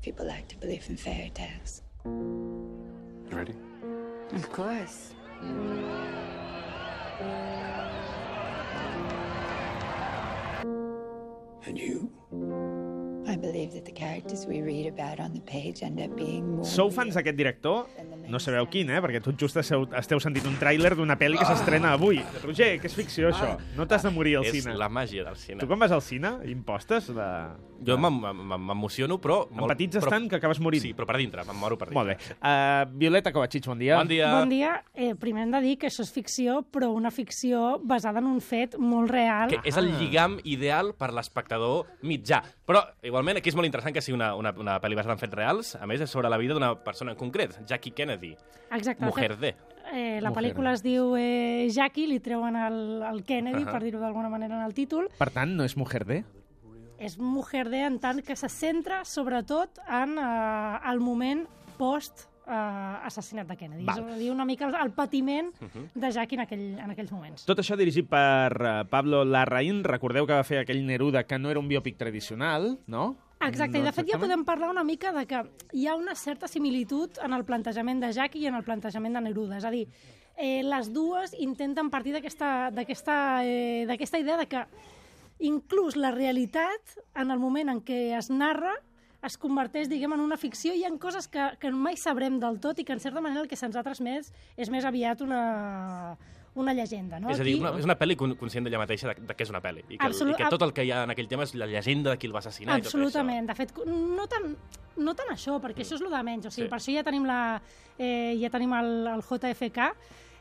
People like to believe in fairy tales. You ready? Of course. And you? I believe that the characters we read about on the page end up being more Sou fans d'aquest director? No sabeu quin, perquè tot just esteu sentint un tràiler d'una pel·li que s'estrena avui. Roger, que és ficció, això. No t'has de morir al cine. És la màgia del cine. Tu quan vas al cine, impostes? Jo m'emociono, però... Empatitzes tant que acabes morint. Sí, però per dintre, me'n moro per dintre. Molt bé. Violeta Kovacic, bon dia. Bon dia. Bon dia. Primer hem de dir que això és ficció, però una ficció basada en un fet molt real. Que és el lligam ideal per l'espectador mitjà. Però, igualment, aquí és molt interessant que sigui una pel·li basada en fets reals. A més, és sobre la vida d'una persona en concret, Jackie Kennedy. Exacte. Mujer de. La pel·lícula es diu Jackie, li treuen el Kennedy, per dir-ho d'alguna manera, en el títol. Per tant, no és Mujer de? És Mujer de en tant que se centra, sobretot, en el moment post-assassinat de Kennedy. És a dir, una mica el patiment de Jackie en aquells moments. Tot això dirigit per Pablo Larraín. Recordeu que va fer aquell Neruda, que no era un biòpic tradicional, no? Exacte, i de fet ja podem parlar una mica de que hi ha una certa similitud en el plantejament de Jackie i en el plantejament de Neruda. És a dir, les dues intenten partir d'aquesta idea de que inclús la realitat, en el moment en què es narra, es converteix, diguem, en una ficció. Hi ha coses que mai sabrem del tot i que, en certa manera, el que se'ns ha transmès és més aviat una llegenda. No? És a dir, és una pel·li conscient d'ella mateixa de que és una pel·li. I que tot el que hi ha en aquell tema és la llegenda de qui el va assassinar. Absolutament. De fet, no tant això, perquè això és el de menys. O sigui, per això ja tenim el JFK,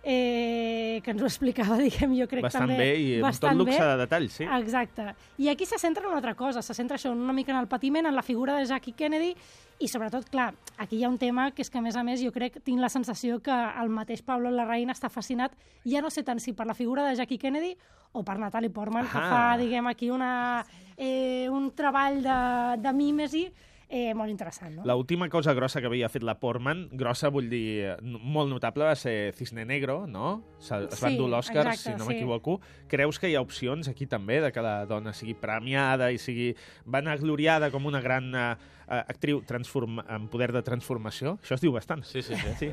que ens ho explicava, diguem, jo crec bastant també... Bé i amb tot luxe de detalls, sí. Exacte. I aquí se centra en una altra cosa, se centra això una mica en el patiment, en la figura de Jackie Kennedy, i sobretot, clar, aquí hi ha un tema que és que, a més, jo crec, tinc la sensació que el mateix Pablo Larraín està fascinat, ja no sé tant si per la figura de Jackie Kennedy o per Natalie Portman, que fa, diguem, aquí un treball de mímesi molt interessant, no? L'última cosa grossa que havia fet la Portman, grossa vull dir molt notable, va ser Cisne Negro, no? Es va endur l'Òscar, si no m'equivoco. Creus que hi ha opcions aquí també de que la dona sigui premiada i sigui vanagloriada com una gran actriu amb poder de transformació? Això es diu bastant. Sí.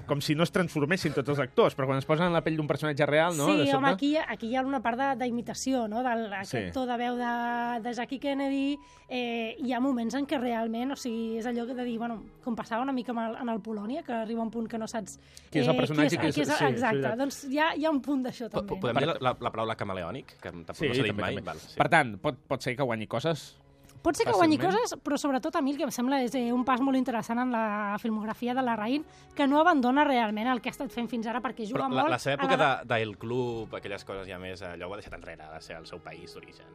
Com si no es transformessin tots els actors, però quan es posen en la pell d'un personatge real, no? Sí, home, aquí hi ha una part d'imitació, no? Aquest to de veu de Jackie Kennedy. Hi ha moments en què realment, o sigui, és allò de dir, bueno, com passava una mica en el Polònia, que arriba un punt que no saps... Qui és el personatge? Exacte, doncs hi ha un punt d'això també. Podem dir la paraula camaleònic, que tampoc no s'ha dit mai? Per tant, pot ser que guanyi coses? Pot ser que guanyi coses, però sobretot a mi el que em sembla és un pas molt interessant en la filmografia de Larraín, que no abandona realment el que ha estat fent fins ara, perquè juga molt... Però la seva època d'El Club, aquelles coses ja més, allò ho ha deixat enrere, de ser el seu país d'origen.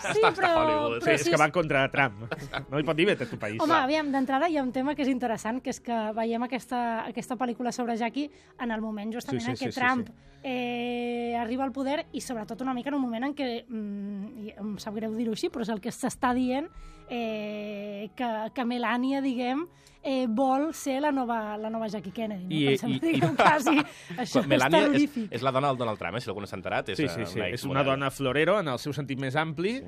Sí, però... És que va contra Trump. No hi pot dir bé, tu país. Home, aviam, d'entrada hi ha un tema que és interessant, que és que veiem aquesta pel·lícula sobre Jackie en el moment justament en què Trump arriba al poder i sobretot una mica en un moment en què, em sap greu dir-ho així, però és el que s'està dient que Melania, diguem, vol ser la nova Jackie Kennedy. Melania és la dona del Donald Trump, si algú no s'ha enterat. Sí, és una dona florero en el seu sentit més ampli,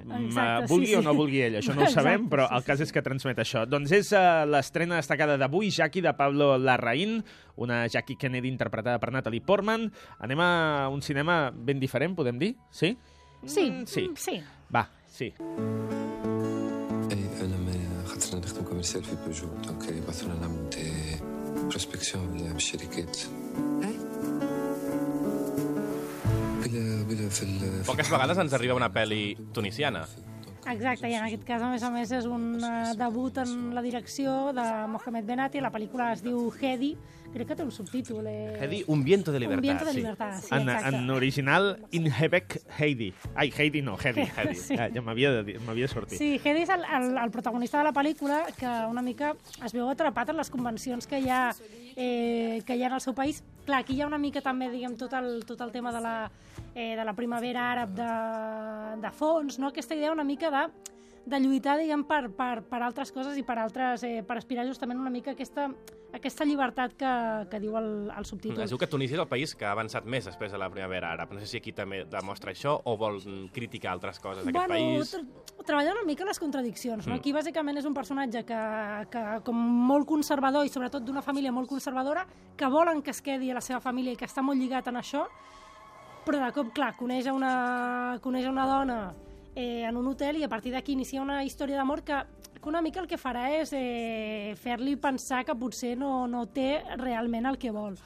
vulgui o no vulgui ell, això no ho sabem, però el cas és que transmet això. Doncs és l'estrena destacada d'avui, Jackie, de Pablo Larraín, una Jackie Kennedy interpretada per Natalie Portman. Anem a un cinema ben diferent, podem dir? Sí? Sí. Va, sí. خاطرنا نخدم كوميرسيال في بيجو دونك يبعثوا لنا نعملوا دي بروسبكسيون بالشركات Poques vegades ens arriba una pel·li tunisiana. Exacte, i en aquest cas, a més, és un debut en la direcció de Mohamed Benati. La pel·lícula es diu Hedi, crec que té un subtítol. Hedi, Un viento de libertad. Un viento de libertad, sí, exacte. En original, Inhebek Heidi. Ai, Heidi no, Hedi. Sí. Ja m'havia sortit. Sí, Hedi és el protagonista de la pel·lícula, que una mica es veu atrapat en les convencions que hi ha en el seu país. Clar, aquí hi ha una mica també, diguem, tot el tema de la primavera àrab de fons, no? Aquesta idea una mica de lluitar, diguem, per altres coses i per aspirar justament una mica aquesta llibertat que diu el subtítol. Es diu que Tunísia és el país que ha avançat més després de la primavera àrab. No sé si aquí també demostra això o vol criticar altres coses d'aquest país. Treballa una mica les contradiccions. No? Aquí, bàsicament, és un personatge que com molt conservador i sobretot d'una família molt conservadora, que volen que es quedi a la seva família i que està molt lligat en això, però de cop, clar, coneix una dona en un hotel i a partir d'aquí inicia una història d'amor que una mica el que farà és fer-li pensar que potser no té realment el que vol.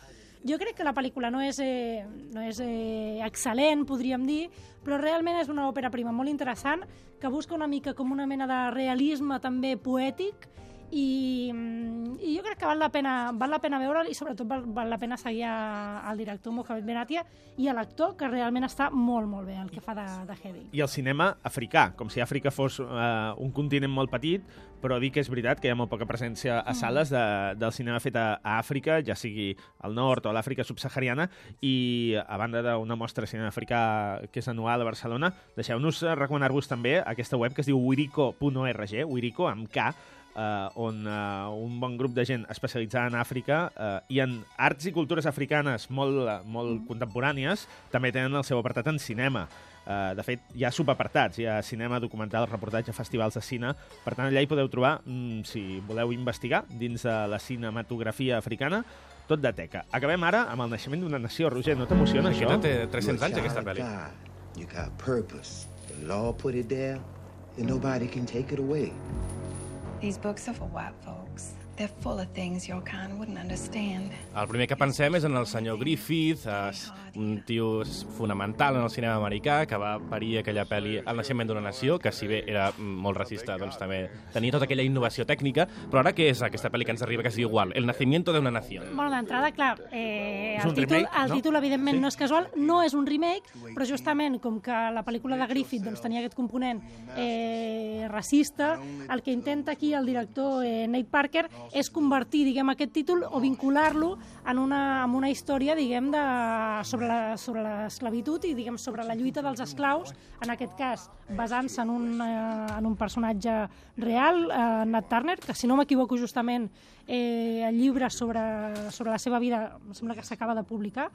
Jo crec que la pel·lícula no és excel·lent, podríem dir, però realment és una òpera prima molt interessant que busca una mica com una mena de realisme també poètic i jo crec que val la pena veure'l i sobretot val la pena seguir al director Mohamed Benatia i a l'actor, que realment està molt, molt bé el que fa de Heavy. I el cinema africà, com si Àfrica fos un continent molt petit, però dir que és veritat que hi ha molt poca presència a sales del cinema fet a Àfrica, ja sigui al nord o a l'Àfrica subsahariana, i a banda d'una mostra de cinema africà que és anual a Barcelona, deixeu-nos recomanar-vos també aquesta web que es diu wirico.org, Wirico amb K, on un bon grup de gent especialitzada en Àfrica i en arts i cultures africanes molt contemporànies també tenen el seu apartat en cinema. De fet, hi ha subapartats, hi ha cinema, documental, reportatge, festivals de cine. Per tant, allà hi podeu trobar, si voleu investigar, dins de la cinematografia africana, tot de teca. Acabem ara amb el naixement d'una nació. Roger, no t'emociona això? Té 300 anys, aquesta pel·li. You got purpose. The law put it there, and nobody can take it away. These books are for white folks. They're full of things your kind wouldn't understand. El primer que pensem és en el senyor Griffith, un tio fonamental en el cinema americà que va parir aquella pel·li El naixement d'una nació, que si bé era molt racista, doncs també tenia tota aquella innovació tècnica, però ara què és aquesta pel·li que ens arriba, que es diu igual, El nacimiento de una nación? Bueno, d'entrada, clar, el títol evidentment no és casual, no és un remake, però justament com que la pel·lícula de Griffith doncs, tenia aquest component racista, el que intenta aquí el director Nate Parker és convertir, diguem, aquest títol o vincular-lo en una història, diguem, sobre l'esclavitud i, diguem, sobre la lluita dels esclaus, en aquest cas, basant-se en un personatge real, Nat Turner, que, si no m'equivoco, justament, el llibre sobre la seva vida, em sembla que s'acaba de publicar.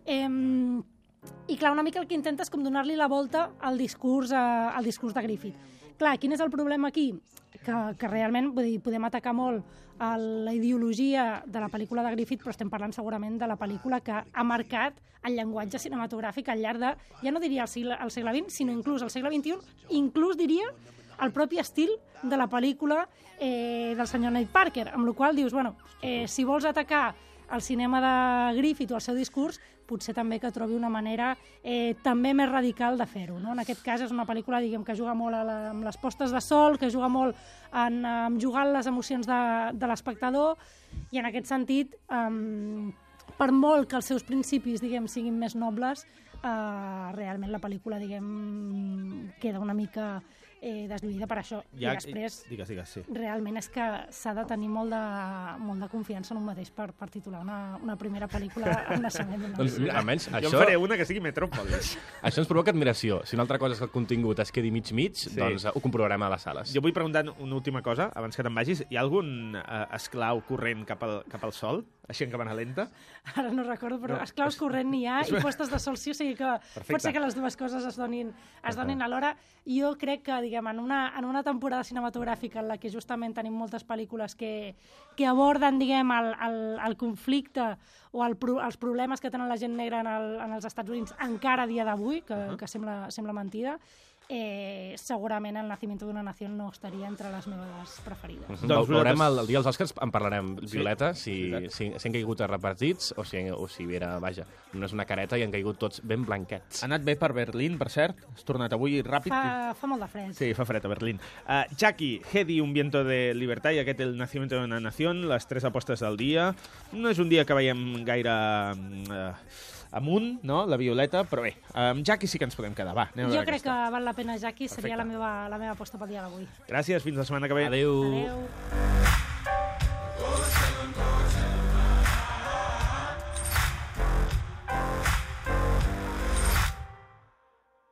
I, clar, una mica el que intenta és com donar-li la volta al discurs de Griffith. Clar, quin és el problema aquí? Que realment podem atacar molt a la ideologia de la pel·lícula de Griffith, però estem parlant segurament de la pel·lícula que ha marcat el llenguatge cinematogràfic al llarg de, ja no diria el segle XX, sinó inclús el segle XXI, inclús diria el propi estil de la pel·lícula del senyor Nate Parker, amb la qual dius, bueno, si vols atacar el cinema de Griffith o el seu discurs, potser també que trobi una manera també més radical de fer-ho. No? En aquest cas és una pel·lícula, diguem, que juga molt amb les postes de sol, que juga molt en jugar les emocions de l'espectador, i en aquest sentit, per molt que els seus principis, diguem, siguin més nobles, realment la pel·lícula, diguem, queda una mica deslluïda per això. I després, digues, sí. Realment és que s'ha de tenir molt de confiança en un mateix per titular una primera pel·lícula El naixement d'una nació. Doncs, almenys, jo en faré una que sigui Metròpolis. Això ens provoca admiració. Si una altra cosa és que el contingut es quedi mig-mig, doncs ho comprovarem a les sales. Jo vull preguntar una última cosa, abans que te'n vagis. Hi ha algun esclau corrent cap al sol? Així en càmera lenta? Ara no recordo, però esclaus corrent n'hi ha i postes de sol sí, o sigui que pot ser que les dues coses es donin alhora. Jo crec que, diguem, en una temporada cinematogràfica en la que justament tenim moltes pel·lícules que aborden, diguem, el conflicte o els problemes que tenen la gent negra en els Estats Units encara a dia d'avui, que sembla mentida, segurament El nacimiento d'una nació no estaria entre les meves preferides. Doncs veurem el dia dels Oscars, en parlarem, Violeta, si han caigut repartits o si era, vaja, només una careta i han caigut tots ben blanquets. Ha anat bé per Berlín, per cert. Has tornat avui ràpid. Fa molt de fred. Sí, fa fred a Berlín. Jackie, Hedy, Un viento de libertad, i aquest El nacimiento d'una nació, les 3 apostes del dia. No és un dia que veiem gaire amunt, no?, la Violeta, però bé, amb Jackie sí que ens podem quedar. Va, jo crec que val la pena Jackie, seria la meva aposta pel dia d'avui. Gràcies, fins la setmana que ve. Adéu.